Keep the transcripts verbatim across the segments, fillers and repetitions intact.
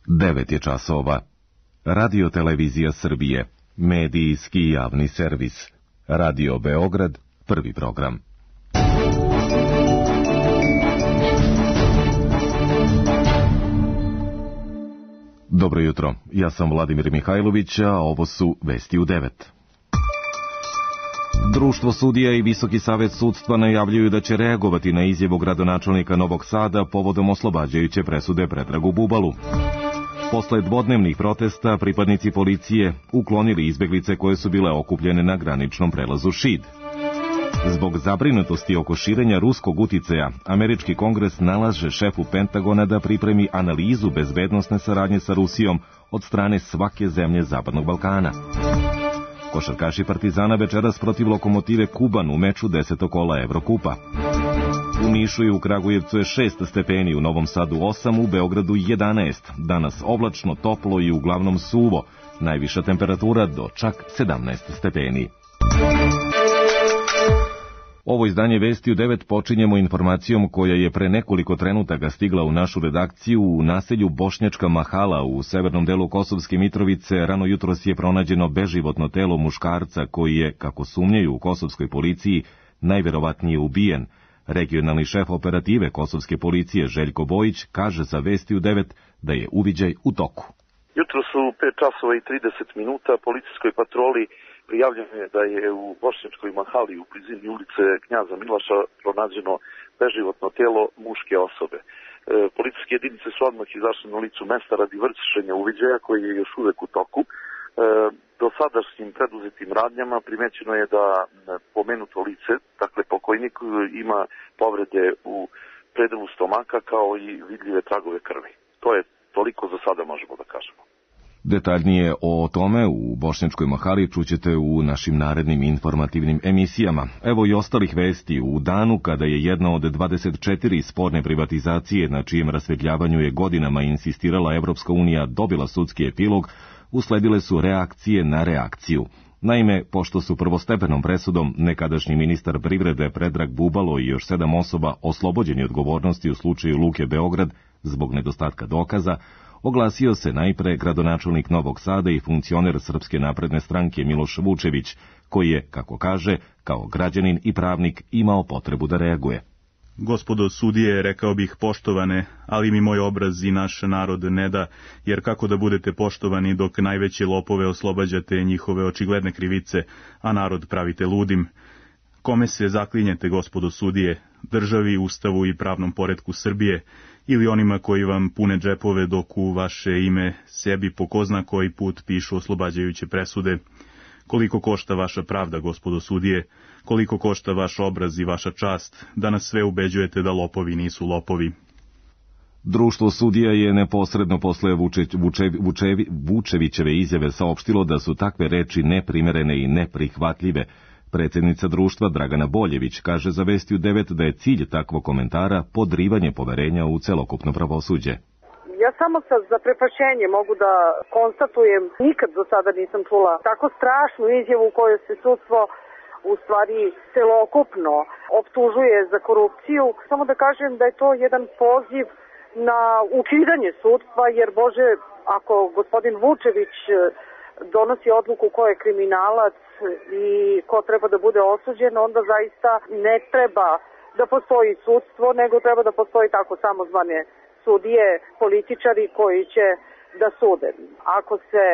devet je časova. Radio Televizija Srbije, medijski javni servis. Radio Beograd, prvi program. Dobro jutro, ja sam Vladimir Mihajlović, a ovo su Vesti u devet. Društvo sudija i Visoki savet sudstva najavljuju da će reagovati na izjavu gradonačelnika Novog Sada povodom oslobađajuće presude Predragu Bubalu. Posle dvodnevnih protesta, pripadnici policije uklonili izbeglice koje su bile okupljene na graničnom prelazu Šid. Zbog zabrinutosti oko širenja ruskog uticaja, američki kongres nalaže šefu Pentagona da pripremi analizu bezbednosne saradnje sa Rusijom od strane svake zemlje Zapadnog Balkana. Košarkaši Partizana večeras protiv Lokomotive Kuban u meču desetog kola Evrokupa. U Nišu i u Kragujevcu je šest stepeni, u Novom Sadu osam, u Beogradu jedanaest. Danas oblačno, toplo i uglavnom suvo. Najviša temperatura do čak sedamnaest stepeni. Ovo izdanje Vesti u devet počinjemo informacijom koja je pre nekoliko trenutaka stigla u našu redakciju. U naselju Bošnjačka Mahala u severnom delu Kosovske Mitrovice rano jutros je pronađeno beživotno telo muškarca koji je, kako sumnjaju u kosovskoj policiji, najverovatnije ubijen. Regionalni šef operative kosovske policije Željko Bojić kaže za Vesti u devet da je uviđaj u toku. Jutro su pet časova i trideset minuta policijskoj patroli prijavljeno je da je u Bošnjačkoj Mahali u blizini ulice Knjaza Miloša pronađeno beživotno telo muške osobe. E, policijske jedinice su odmah izašle na licu mesta radi vršenja uviđaja koji je još uvek u toku. E, do sadašnjim preduzetim radnjama primećeno je da pomenuto lice, dakle pokojnik, ima povrede u predelu stomaka kao i vidljive tragove krvi. To je toliko za sada možemo da kažemo. Detaljnije o tome u Bošnjačkoj Mahali čućete u našim narednim informativnim emisijama. Evo i ostalih vesti. U danu kada je jedna od dvadeset četiri sporne privatizacije na čijem rasvetljavanju je godinama insistirala Evropska unija dobila sudski epilog, usledile su reakcije na reakciju. Naime, pošto su prvostepenom presudom nekadašnji ministar privrede Predrag Bubalo i još sedam osoba oslobođeni odgovornosti u slučaju Luke Beograd zbog nedostatka dokaza, oglasio se najpre gradonačelnik Novog Sada i funkcioner Srpske napredne stranke Miloš Vučević, koji je, kako kaže, kao građanin i pravnik imao potrebu da reaguje. Gospodo sudije, rekao bih poštovane, ali mi moj obraz i naš narod ne da, jer kako da budete poštovani dok najveće lopove oslobađate njihove očigledne krivice, a narod pravite ludim? Kome se zaklinjete, gospodo sudije, državi, ustavu i pravnom poretku Srbije, ili onima koji vam pune džepove dok u vaše ime sebi po ko zna koji put pišu oslobađajuće presude? Koliko košta vaša pravda, gospodo sudije? Koliko košta vaš obraz i vaša čast, da nas sve ubeđujete da lopovi nisu lopovi? Društvo sudija je neposredno posle Vuče, Vuče, Vučevi, Vučevićeve izjave saopštilo da su takve reči neprimerene i neprihvatljive. Predsjednica društva Dragana Boljević kaže za Vesti u devet da je cilj takvog komentara podrivanje poverenja u celokupno pravosuđe. Ja samo sa zaprepašćenjem mogu da konstatujem, nikad do sada nisam čula tako strašnu izjavu u kojoj se sudstvo u stvari celokupno optužuje za korupciju. Samo da kažem da je to jedan poziv na ukidanje sudstva, jer Bože, ako gospodin Vučević donosi odluku ko je kriminalac i ko treba da bude osuđen, onda zaista ne treba da postoji sudstvo, nego treba da postoji tako samozvane sudije, političari koji će da sude. Ako se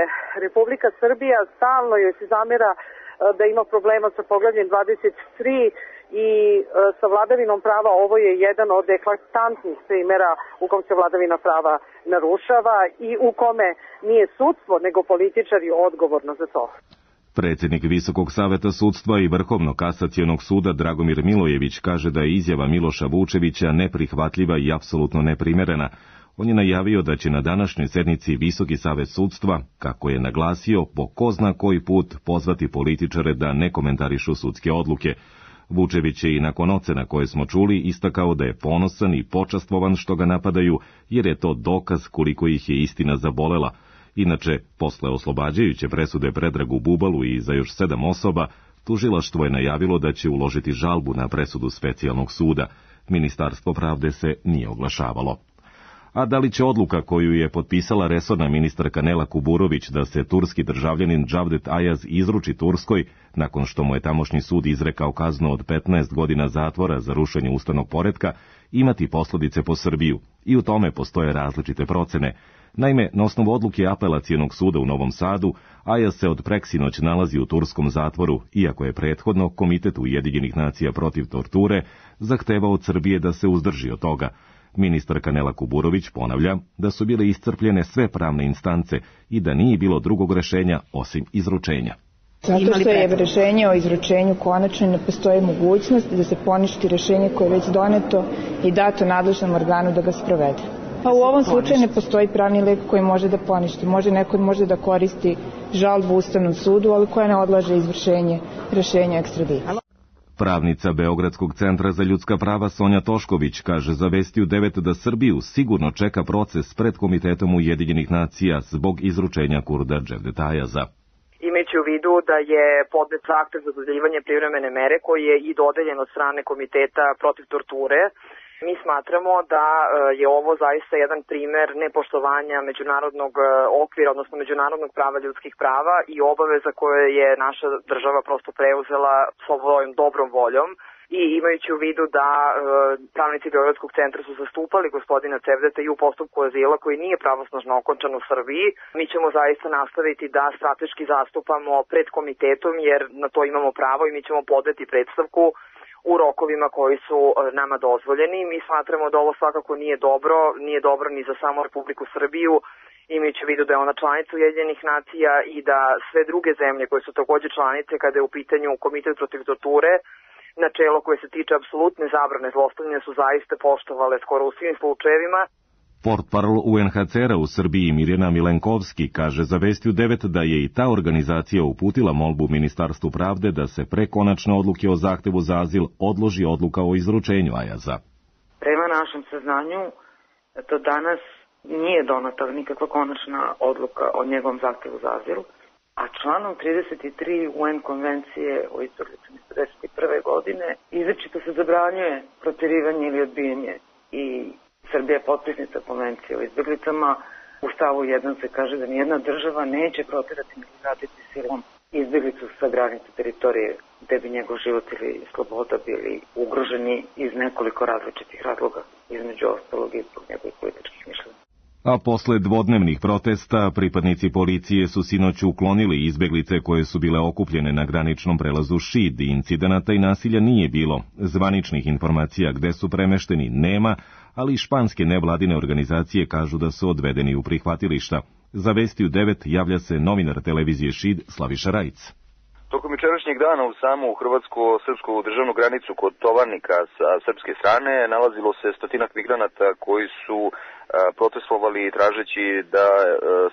Republika Srbija stalno joj se zamera da ima problema sa poglavljem dvadeset tri i sa vladavinom prava, ovo je jedan od eklatantnih primjera u kom se vladavina prava narušava i u kome nije sudstvo, nego političari odgovorno za to. Predsjednik Visokog saveta sudstva i Vrhovnog kasacionog suda Dragomir Milojević kaže da je izjava Miloša Vučevića neprihvatljiva i apsolutno neprimerena. On je najavio da će na današnjoj sednici Visoki savet sudstva, kako je naglasio, po ko zna koji put pozvati političare da ne komentarišu sudske odluke. Vučević je i nakon ocena koje smo čuli istakao da je ponosan i počastvovan što ga napadaju, jer je to dokaz koliko ih je istina zabolela. Inače, posle oslobađajuće presude Predragu Bubalu i za još sedam osoba, tužilaštvo je najavilo da će uložiti žalbu na presudu specijalnog suda. Ministarstvo pravde se nije oglašavalo. A da li će odluka koju je potpisala resorna ministarka Nela Kuburović da se turski državljanin Cevdet Ayaz izruči Turskoj, nakon što mu je tamošnji sud izrekao kaznu od petnaest godina zatvora za rušenje ustavnog poretka, imati posljedice po Srbiju? I u tome postoje različite procene. Naime, na osnovu odluke Apelacijonog suda u Novom Sadu, Ayaz se od preksinoć nalazi u turskom zatvoru, iako je prethodno Komitet Ujedinjenih nacija protiv torture zahtevao od Srbije da se uzdrži od toga. Ministarka Nela Kuburović ponavlja da su bile iscrpljene sve pravne instance i da nije bilo drugog rešenja osim izručenja. Zato što je rešenje o izručenju konačno, ne postoji mogućnost da se poništi rešenje koje je već doneto i dato nadležnom organu da ga sprovede. Pa u ovom slučaju ne postoji pravni lek koji može da poništi. Može neko može da koristi žalbu Ustavnom sudu, ali koja ne odlaže izvršenje rešenja ekstradicije. Pravnica Beogradskog centra za ljudska prava Sonja Tošković kaže za Vesti u devet da Srbiju sigurno čeka proces pred Komitetom Ujedinjenih nacija zbog izručenja Kurda Cevdeta Ayaza. Imajući u vidu da je podnet zahtev za dodeljivanje privremene mere koji je i dodeljen od strane Komiteta protiv torture, mi smatramo da je ovo zaista jedan primer nepoštovanja međunarodnog okvira, odnosno međunarodnog prava ljudskih prava i obaveza koje je naša država prosto preuzela svojom dobrom voljom. I imajući u vidu da e, pravnici Beogradskog centra su zastupali gospodina Cevdeta i u postupku azila koji nije pravosnažno okončan u Srbiji, mi ćemo zaista nastaviti da strateški zastupamo pred komitetom jer na to imamo pravo i mi ćemo podeti predstavku u rokovima koji su nama dozvoljeni. Mi smatramo da ovo svakako nije dobro, nije dobro ni za samu Republiku Srbiju, imajući u vidu da je ona članica Ujedinjenih nacija i da sve druge zemlje koje su takođe članice kada je u pitanju Komitet protiv torture, načelo koje se tiče apsolutne zabrane zlostavljanja su zaista poštovale skoro u svim slučajevima. Portparol U N H C R-a u Srbiji Mirjana Milenkovski kaže za Vesti u devet da je i ta organizacija uputila molbu Ministarstvu pravde da se pre konačne odluke o zahtevu za azil odloži odluka o izručenju Ayaza. Prema našem saznanju, do danas nije donata nikakva konačna odluka o njegovom zahtevu za azil, a članom trideset tri U N konvencije o izbeglicama iz pedeset prve godine izričito se zabranjuje proterivanje ili odbijanje i Srbija je potpisnica konvencije o izbeglicama. U stavu jedan se kaže da nijedna država neće proterati ni vratiti silom izbeglicu sa granice teritorije gde bi njegov život ili sloboda bili ugroženi iz nekoliko različitih razloga, između ostalog i zbog njegovih političkih mišljenja. A posle dvodnevnih protesta, pripadnici policije su sinoć uklonili izbeglice koje su bile okupljene na graničnom prelazu Šid. Incidenata i nasilja nije bilo. Zvaničnih informacija gde su premešteni nema, ali španske nevladine organizacije kažu da su odvedeni u prihvatilišta. Za Vesti u devet javlja se novinar televizije Šid Slaviša Rajic. Tokom jučerašnjeg dana u samu hrvatsko-srpsku državnu granicu kod Tovarnika sa srpske strane nalazilo se stotinak migranata koji su a, protestovali tražeći da a,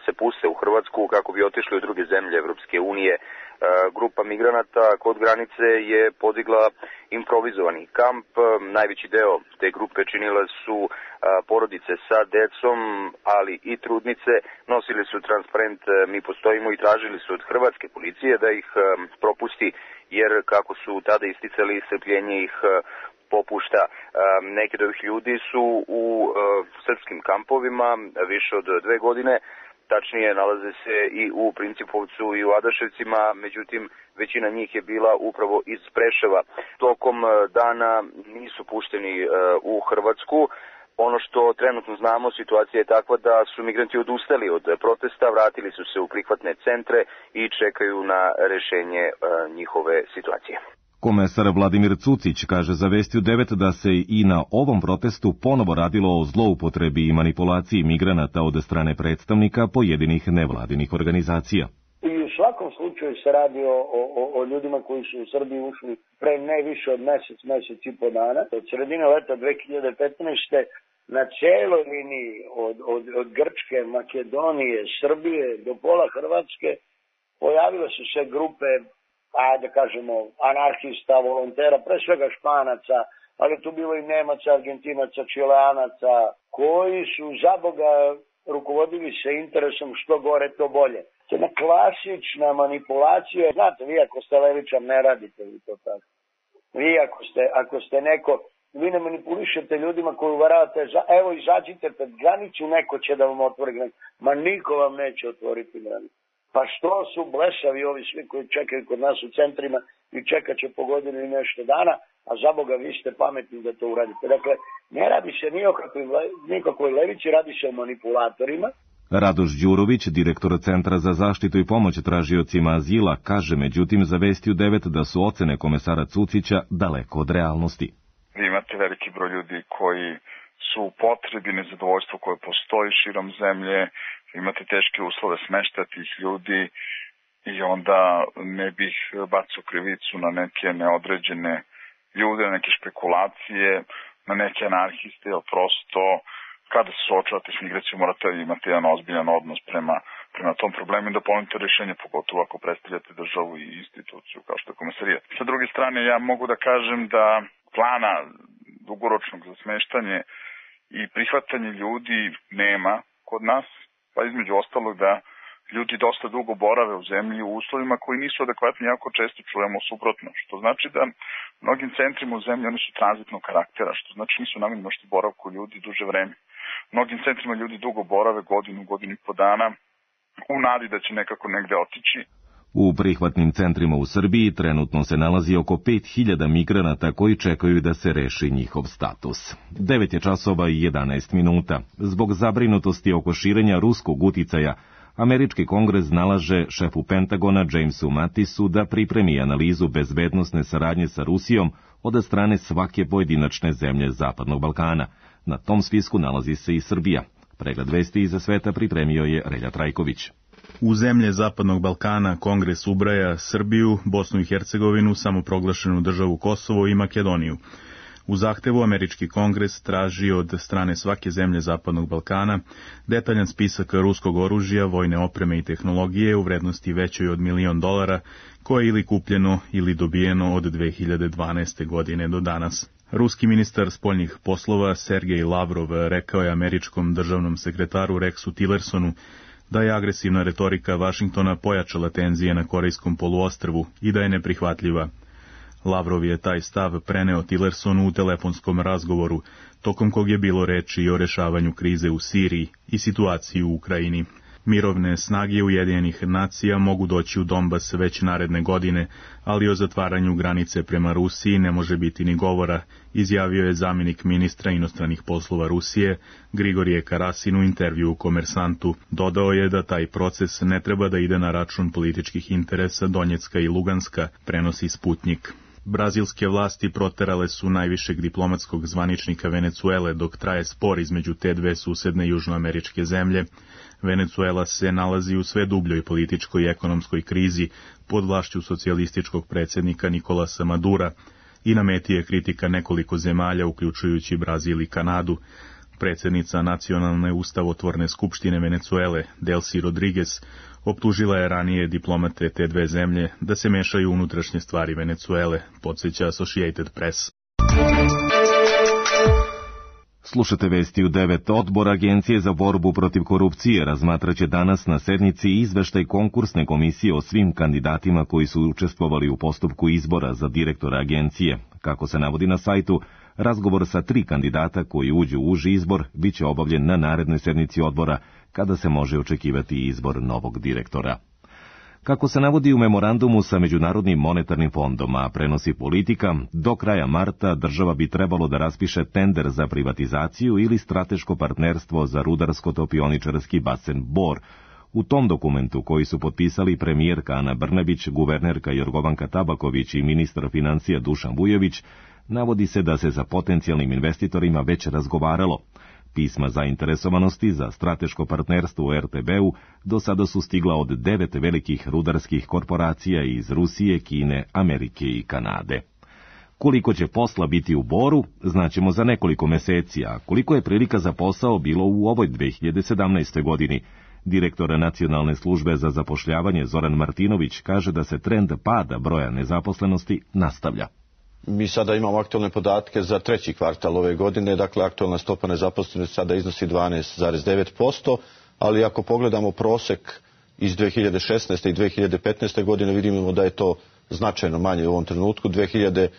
se puste u Hrvatsku kako bi otišli u druge zemlje Evropske unije. A, grupa migranata kod granice je podigla improvizovani kamp. Najveći deo te grupe činile su a, porodice sa decom, ali i trudnice. Nosili su transparent "Mi postojimo" i tražili su od hrvatske policije da ih a, propusti, jer kako su tada isticali, strpljenje ih a, popušta. A, neki od ovih ljudi su u a, srpskim kampovima više od dve godine. Tačnije, nalaze se i u Principovcu i u Adaševcima, međutim, većina njih je bila upravo iz Preševa. Tokom dana nisu pušteni u Hrvatsku. Ono što trenutno znamo, situacija je takva da su migranti odustali od protesta, vratili su se u prihvatne centre i čekaju na rešenje njihove situacije. Komesar Vladimir Cucić kaže za Vesti u devet da se i na ovom protestu ponovo radilo o zloupotrebi i manipulaciji migranata od strane predstavnika pojedinih nevladinih organizacija. I u svakom slučaju se radi o, o, o ljudima koji su u Srbiji ušli pre ne više od mesec, mesec i po dana. Od sredine leta dve hiljade petnaeste. na celoj liniji od, od, od Grčke, Makedonije, Srbije do pola Hrvatske pojavile su se grupe, ajde kažemo, anarhista, volontera, pre svega Španaca, ali tu bilo i Nemaca, Argentinaca, Čileanaca, koji su za Boga rukovodili se interesom što gore to bolje. To je jedna klasična manipulacija. Znate, vi ako ste levičar ne radite vi to tako. Vi ako ste, ako ste neko vi ne manipulišete ljudima koji uvaravate, evo izađite pred granicu, neko će da vam otvori granicu. Ma niko vam neće otvoriti granicu. Pa što su blesavi ovi svi koji čekaju kod nas u centrima i čekat će po godinu i nešto dana, a za Boga vi ste pametni da to uradite. Dakle, ne radi se ni o nikakvoj levici, radi se o manipulatorima. Radoš Đurović, direktor Centra za zaštitu i pomoć tražiocima azila, kaže međutim za Vesti u devet da su ocene komesara Cucića daleko od realnosti. Vi imate veliki broj ljudi koji su u potrebi, nezadovoljstvo koje postoji širom zemlje, imate teške uslove smeštaja tih ljudi i onda ne bih bacao krivicu na neke neodređene ljude, na neke špekulacije, na neke anarhiste, jer prosto kada se suočavate s migracijom morate imati jedan ozbiljan odnos prema, prema tom problemu i da ponudite rješenje, pogotovo ako predstavljate državu i instituciju kao što je komesarijat. Sa druge strane, ja mogu da kažem da plana dugoročnog za smeštanje i prihvatanje ljudi nema kod nas, pa između ostalog da ljudi dosta dugo borave u zemlji u uslovima koji nisu adekvatni, jako često čujemo suprotno, što znači da mnogim centrima u zemlji oni su tranzitnog karaktera, što znači nisu namenjeni možda boravku ljudi duže vreme. Mnogim centrima ljudi dugo borave, godinu, godinu i po dana, u nadi da će nekako negde otići. U prihvatnim centrima u Srbiji trenutno se nalazi oko pet hiljada migranata koji čekaju da se reši njihov status. devet je časova i jedanaest minuta. Zbog zabrinutosti oko širenja ruskog uticaja, Američki kongres nalaže šefu Pentagona Jamesu Mattisu da pripremi analizu bezbednosne saradnje sa Rusijom od strane svake pojedinačne zemlje Zapadnog Balkana. Na tom spisku nalazi se i Srbija. Pregled vesti iza sveta pripremio je Relja Trajković. U zemlje Zapadnog Balkana kongres ubraja Srbiju, Bosnu i Hercegovinu, samoproglašenu državu Kosovo i Makedoniju. U zahtevu Američki kongres traži od strane svake zemlje Zapadnog Balkana detaljan spisak ruskog oružja, vojne opreme i tehnologije u vrednosti većoj od milion dolara, koje je ili kupljeno ili dobijeno od dve hiljade dvanaeste. godine do danas. Ruski ministar spoljnih poslova Sergej Lavrov rekao je američkom državnom sekretaru Rexu Tillersonu da je agresivna retorika Vašingtona pojačala tenzije na Korejskom poluostrvu i da je neprihvatljiva. Lavrov je taj stav preneo Tillersonu u telefonskom razgovoru, tokom kog je bilo reči i o rešavanju krize u Siriji i situaciji u Ukrajini. Mirovne snage Ujedinjenih nacija mogu doći u Donbas već naredne godine, ali o zatvaranju granice prema Rusiji ne može biti ni govora, izjavio je zamjenik ministra inostranih poslova Rusije Grigorije Karasin u intervju u Komersantu. Dodao je da taj proces ne treba da ide na račun političkih interesa Donjecka i Luganska, prenosi Sputnjik. Brazilske vlasti proterale su najvišeg diplomatskog zvaničnika Venecuele dok traje spor između te dve susedne južnoameričke zemlje. Venecuela se nalazi u sve dubljoj političkoj i ekonomskoj krizi pod vlašću socijalističkog predsjednika Nikolasa Madura i na meti je kritika nekoliko zemalja, uključujući Brazil i Kanadu. Predsjednica Nacionalne ustavotvorne skupštine Venecuele, Delcy Rodriguez, optužila je ranije diplomate te dve zemlje da se mešaju u unutrašnje stvari Venecuele, podsjeća Associated Press. Slušate Vesti u devet. Odbor Agencije za borbu protiv korupcije razmatraće danas na sednici izveštaj konkursne komisije o svim kandidatima koji su učestvovali u postupku izbora za direktora agencije. Kako se navodi na sajtu, razgovor sa tri kandidata koji uđu u uži izbor biće obavljen na narednoj sednici odbora, kada se može očekivati izbor novog direktora. Kako se navodi u memorandumu sa Međunarodnim monetarnim fondom, a prenosi Politika, do kraja marta država bi trebalo da raspiše tender za privatizaciju ili strateško partnerstvo za rudarsko-topioničarski basen Bor. U tom dokumentu, koji su potpisali premijerka Ana Brnabić, guvernerka Jorgovanka Tabaković i ministar financija Dušan Vujović, navodi se da se sa potencijalnim investitorima već razgovaralo. Pisma zainteresovanosti za strateško partnerstvo u er te be-u do sada su stigla od devet velikih rudarskih korporacija iz Rusije, Kine, Amerike i Kanade. Koliko će posla biti u Boru, znaćemo za nekoliko meseci, a koliko je prilika za posao bilo u ovoj dve hiljade sedamnaestoj. godini. Direktor Nacionalne službe za zapošljavanje Zoran Martinović kaže da se trend pada broja nezaposlenosti nastavlja. Mi sada imamo aktualne podatke za treći kvartal ove godine, dakle aktualna stopa nezaposlenosti sada iznosi dvanaest zarez devet posto, ali ako pogledamo prosek iz dve hiljade šesnaeste. i dve hiljade petnaeste. godine vidimo da je to značajno manje u ovom trenutku. dve hiljade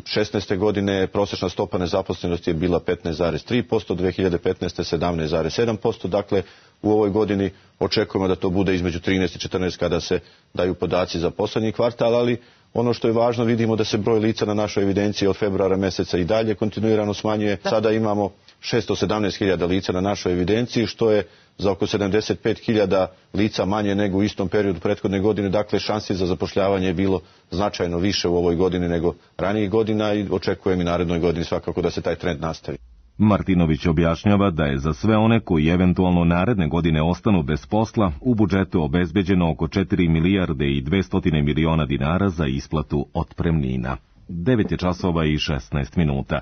šesnaeste. godine prosječna stopa nezaposlenosti je bila petnaest zarez tri posto, dve hiljade petnaeste. sedamnaest zarez sedam posto, dakle u ovoj godini očekujemo da to bude između trinaest i četrnaest kada se daju podaci za posljednji kvartal, ali ono što je važno, vidimo da se broj lica na našoj evidenciji od februara mjeseca i dalje kontinuirano smanjuje. Sada imamo šesto sedamnaest hiljada lica na našoj evidenciji, što je za oko sedamdeset pet hiljada lica manje nego u istom periodu prethodne godine. Dakle, šansi za zapošljavanje je bilo značajno više u ovoj godini nego ranijih godina i očekujem i narednoj godini svakako da se taj trend nastavi. Martinović objašnjava da je za sve one koji eventualno naredne godine ostanu bez posla u budžetu obezbeđeno oko četiri milijarde i dvesta miliona dinara za isplatu otpremnina. devet je časova i šesnaest minuta.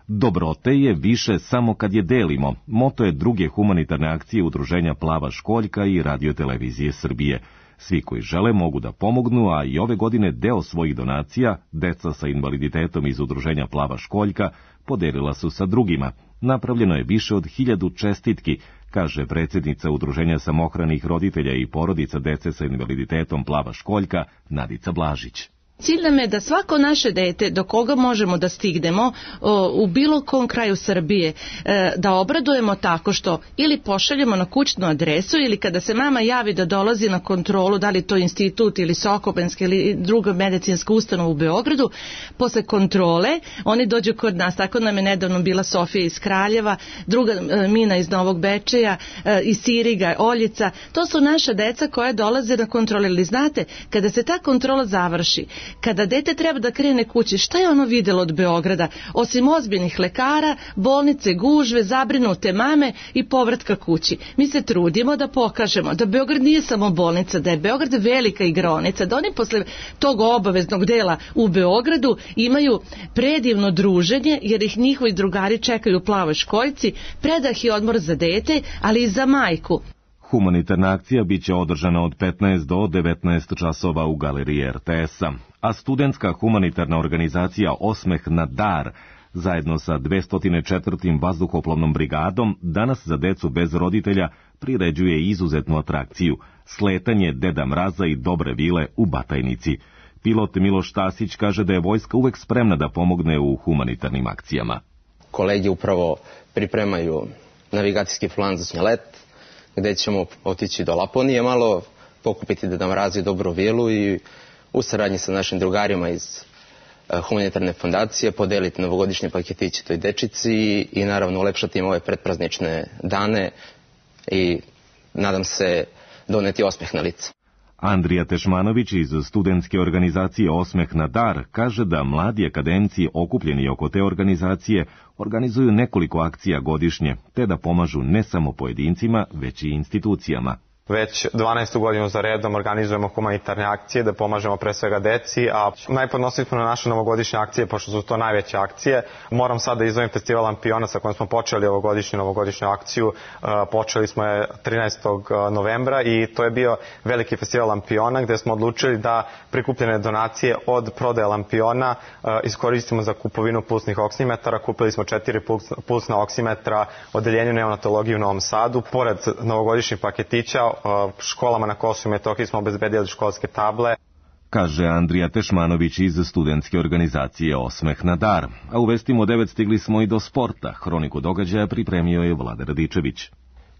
Dobrote je više samo kad je delimo. Moto je druge humanitarne akcije udruženja Plava školjka i Radio-televizije Srbije. Svi koji žele mogu da pomognu, a i ove godine deo svojih donacija, deca sa invaliditetom iz udruženja Plava školjka, podelila su sa drugima. Napravljeno je više od hiljadu čestitki, kaže predsjednica udruženja samohranih roditelja i porodica dece sa invaliditetom Plava školjka, Nadica Blažić. Cilj nam je da svako naše dete, do koga možemo da stignemo o, u bilo kom kraju Srbije, e, da obradujemo tako što ili pošaljemo na kućnu adresu ili kada se mama javi da dolazi na kontrolu, da li to institut ili Sokobanska ili druga medicinska ustanova u Beogradu, posle kontrole oni dođu kod nas. Tako nam je nedavno bila Sofija iz Kraljeva, druga e, Mina iz Novog Bečeja, e, iz Siriga, Oljica. To su naša deca koja dolaze na kontrole. Ili znate, kada se ta kontrola završi, kada dete treba da krene kući, šta je ono vidjelo od Beograda, osim ozbiljnih lekara, bolnice, gužve, zabrinute mame i povratka kući? Mi se trudimo da pokažemo da Beograd nije samo bolnica, da je Beograd velika igraonica, da oni posle tog obaveznog dela u Beogradu imaju predivno druženje, jer ih njihovi drugari čekaju u Plavoj školjci, predah i odmor za dete, ali i za majku. Humanitarna akcija biće održana od petnaest do devetnaest časova u galeriji er te es-a, a studentska humanitarna organizacija Osmeh na dar zajedno sa dvesta četvrtom vazduhoplovnom brigadom danas za decu bez roditelja priređuje izuzetnu atrakciju, sletanje Deda Mraza i Dobre vile u Batajnici. Pilot Miloš Tasić kaže da je vojska uvek spremna da pomogne u humanitarnim akcijama. Kolege upravo pripremaju navigacijski plan za snjelet, gdje ćemo otići do Laponije malo, pokupiti Deda Mraza i Dobru vilu i u saradnji sa našim drugarima iz uh, humanitarne fondacije podeliti novogodišnje paketiće toj dečici i, i naravno ulepšati im ove pretpraznične dane i nadam se doneti osmeh na lice. Andrija Tešmanović iz studentske organizacije Osmeh na dar kaže da mladi akademci okupljeni oko te organizacije organizuju nekoliko akcija godišnje, te da pomažu ne samo pojedincima, već i institucijama. Već dvanaestu godinu za redom organizujemo humanitarne akcije da pomažemo pre svega deci, a najponosniji smo na naše novogodišnje akcije, pošto su to najveće akcije. Moram sad da izdvojim festival Lampiona sa kojim smo počeli ovogodišnju novogodišnju akciju. Počeli smo je trinaestog novembra i to je bio veliki festival Lampiona gde smo odlučili da prikupljene donacije od prodaje Lampiona iskoristimo za kupovinu pulsnih oksimetara. Kupili smo četiri pulsna oksimetra odeljenju neonatologije u Novom Sadu. Pored novogodišnjih paketića, školama na Kosovu i Metohiji smo obezbedili školske table. Kaže Andrija Tešmanović iz studentske organizacije Osmeh na dar. A u vestima devet stigli smo i do sporta. Hroniku događaja pripremio je Vlada Radičević.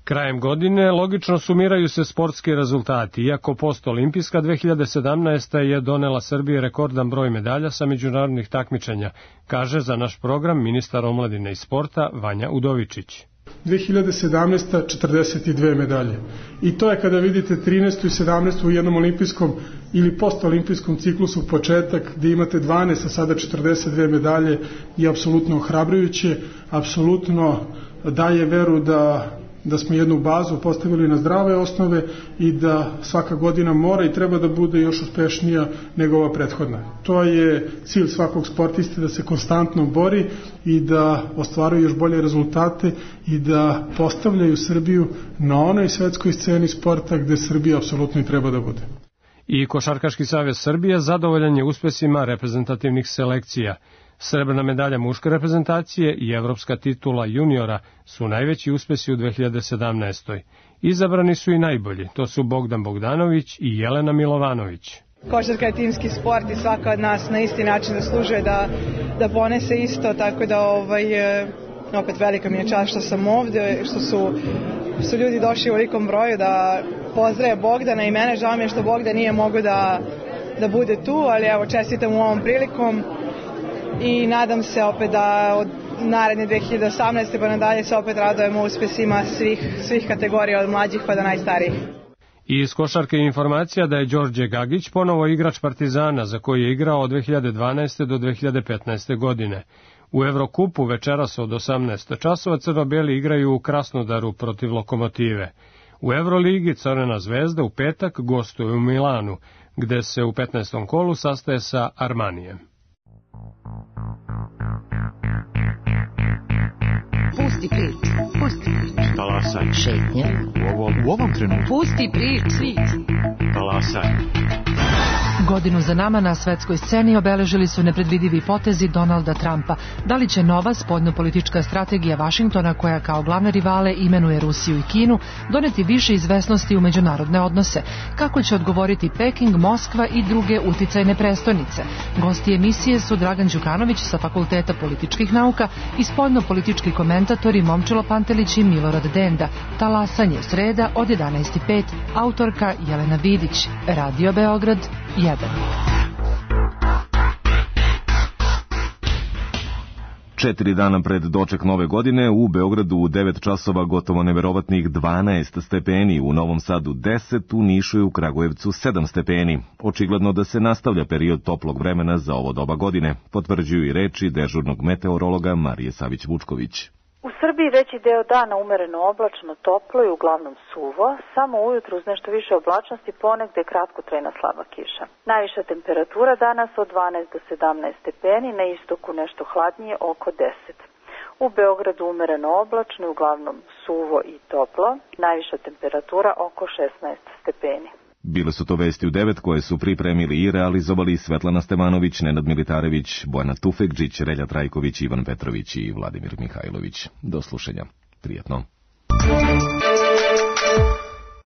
Krajem godine logično sumiraju se sportski rezultati, iako postolimpijska dve hiljade sedamnaesta. je donela Srbiji rekordan broj medalja sa međunarodnih takmičenja, kaže za naš program ministar omladine i sporta Vanja Udovičić. dve hiljade sedamnaesta. četrdeset dve medalje. I to je kada vidite trinaestu i sedamnaestu. u jednom olimpijskom ili postolimpijskom ciklusu početak gdje imate dvanaest, a sada četrdeset dve medalje je apsolutno ohrabrujuće, apsolutno daje veru da da smo jednu bazu postavili na zdrave osnove i da svaka godina mora i treba da bude još uspešnija nego ova prethodna. To je cilj svakog sportiste, da se konstantno bori i da ostvaruje još bolje rezultate i da postavljaju Srbiju na onoj svetskoj sceni sporta gde Srbija apsolutno i treba da bude. I Košarkaški savez Srbije zadovoljan je uspesima reprezentativnih selekcija. Srebrna medalja muške reprezentacije i evropska titula juniora su najveći uspesi u dve hiljade sedamnaestoj. Izabrani su i najbolji, to su Bogdan Bogdanović i Jelena Milovanović. Košarka je timski sport i svaka od nas na isti način zaslužuje da, da ponese isto, tako da ovaj, opet velika mi je čast što sam ovde, što su, su ljudi došli u velikom broju da pozdrave Bogdana i mene. Žao mi je što Bogdan nije mogu da, da bude tu, ali evo čestitam u ovom prilikom i nadam se opet da od naredne dve hiljade osamnaeste pa nadalje se opet radujemo uspesima svih, svih kategorija od mlađih pa do najstarijih. I iz košarke informacija da je Đorđe Gagić ponovo igrač Partizana za koji je igrao od dve hiljade dvanaeste do dve hiljade petnaeste godine. U Evrokupu večeras od osamnaest časova crno-beli igraju u Krasnodaru protiv Lokomotive. U Evroligi Crvena zvezda u petak gostuje u Milanu, gde se u petnaestom kolu sastaje sa Armanijem. Pusti priču, pusti priču. Talasaj. Šetnje. U ovom, u ovom trenutku. Pusti priču. Talasaj. Godinu za nama na svetskoj sceni obeležili su nepredvidivi potezi Donalda Trumpa. Da li će nova spoljnopolitička strategija Vašingtona, koja kao glavne rivale imenuje Rusiju i Kinu, doneti više izvesnosti u međunarodne odnose? Kako će odgovoriti Peking, Moskva i druge uticajne prestonice? Gosti emisije su Dragan Đukanović sa Fakulteta političkih nauka i spoljnopolitički komentatori Momčilo Pantelić i Milorad Denda. Talasanje sreda od jedanaest i pet, autorka Jelena Vidić. Radio Beograd jedan. Četiri dana pred doček nove godine u Beogradu u devet časova gotovo neverovatnih dvanaest stepeni, u Novom Sadu deset, u Nišu i u Kragujevcu sedam stepeni. Očigledno da se nastavlja period toplog vremena za ovo doba godine, potvrđuju i reči dežurnog meteorologa Marije Savić-Vučković. U Srbiji veći deo dana umereno oblačno, toplo i uglavnom suvo, samo ujutru uz nešto više oblačnosti, ponegde kratkotrajna slaba kiša. Najviša temperatura danas od dvanaest do sedamnaest stepeni, na istoku nešto hladnije oko deset. U Beogradu umereno oblačno i uglavnom suvo i toplo, najviša temperatura oko šesnaest stepeni. Bile su to vesti u devet koje su pripremili i realizovali Svetlana Stevanović, Nenad Militarević, Bojana Tufekđić, Relja Trajković, Ivan Petrović i Vladimir Mihajlović. Do slušanja. Prijetno.